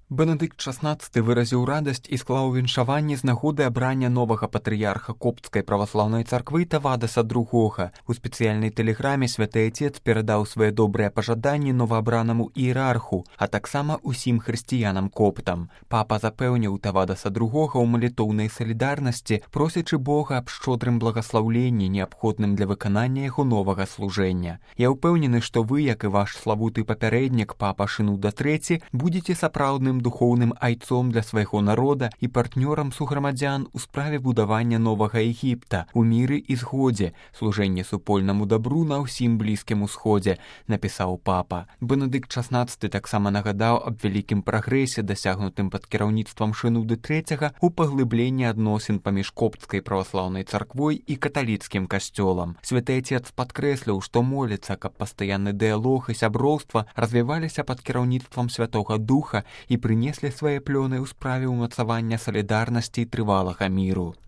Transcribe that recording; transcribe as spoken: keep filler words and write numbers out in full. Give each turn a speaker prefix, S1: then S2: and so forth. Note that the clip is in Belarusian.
S1: Бенедыкт шаснаццаты выразіў радасць і склаў віншаванне з нагоды абрання новага патрыярха Копцкай праваслаўнай царквы Тавадаса другога. У спецыяльнай тэлеграме святы Отец перадаў свае добрыя пажаданні новаабранаму іерарху, а таксама усім хрысціянам-коптам. Папа запэўніў Тавадаса другога ў малітоўнай салідарнасці, просячы Бога аб шчодрым благаслаўленні, неабходным для выканання яго новага служэння. Я ўпэўнены, што вы, як і ваш славуты папярэднік, папа Шынуда трэці, будзеце сапраўдным духоўным айцом для свайго народа і партнёрам суграмадзян у справе будавання новага Егіпта у міры і згодзе, служэнне супольнаму дабру на ўсім Блізкім Усходзе, напісаў папа. Бенедыкт шаснаццаты таксама нагадаў аб вялікім прагрэсе, дасягнутым пад кіраўніцтвам Шынуды трэцяга ў паглыбленні адносін паміж Копцкай праваслаўнай царквой і каталіцкім касцёлам. Святы Отец падкрэсліў, што моліцца, каб пастаянны дыялог і сяброўства развіваліся пад кіраўніцтвам Святога Духа і прынеслі свае плёны ў справе ўмацавання салідарнасці і трывалага міру.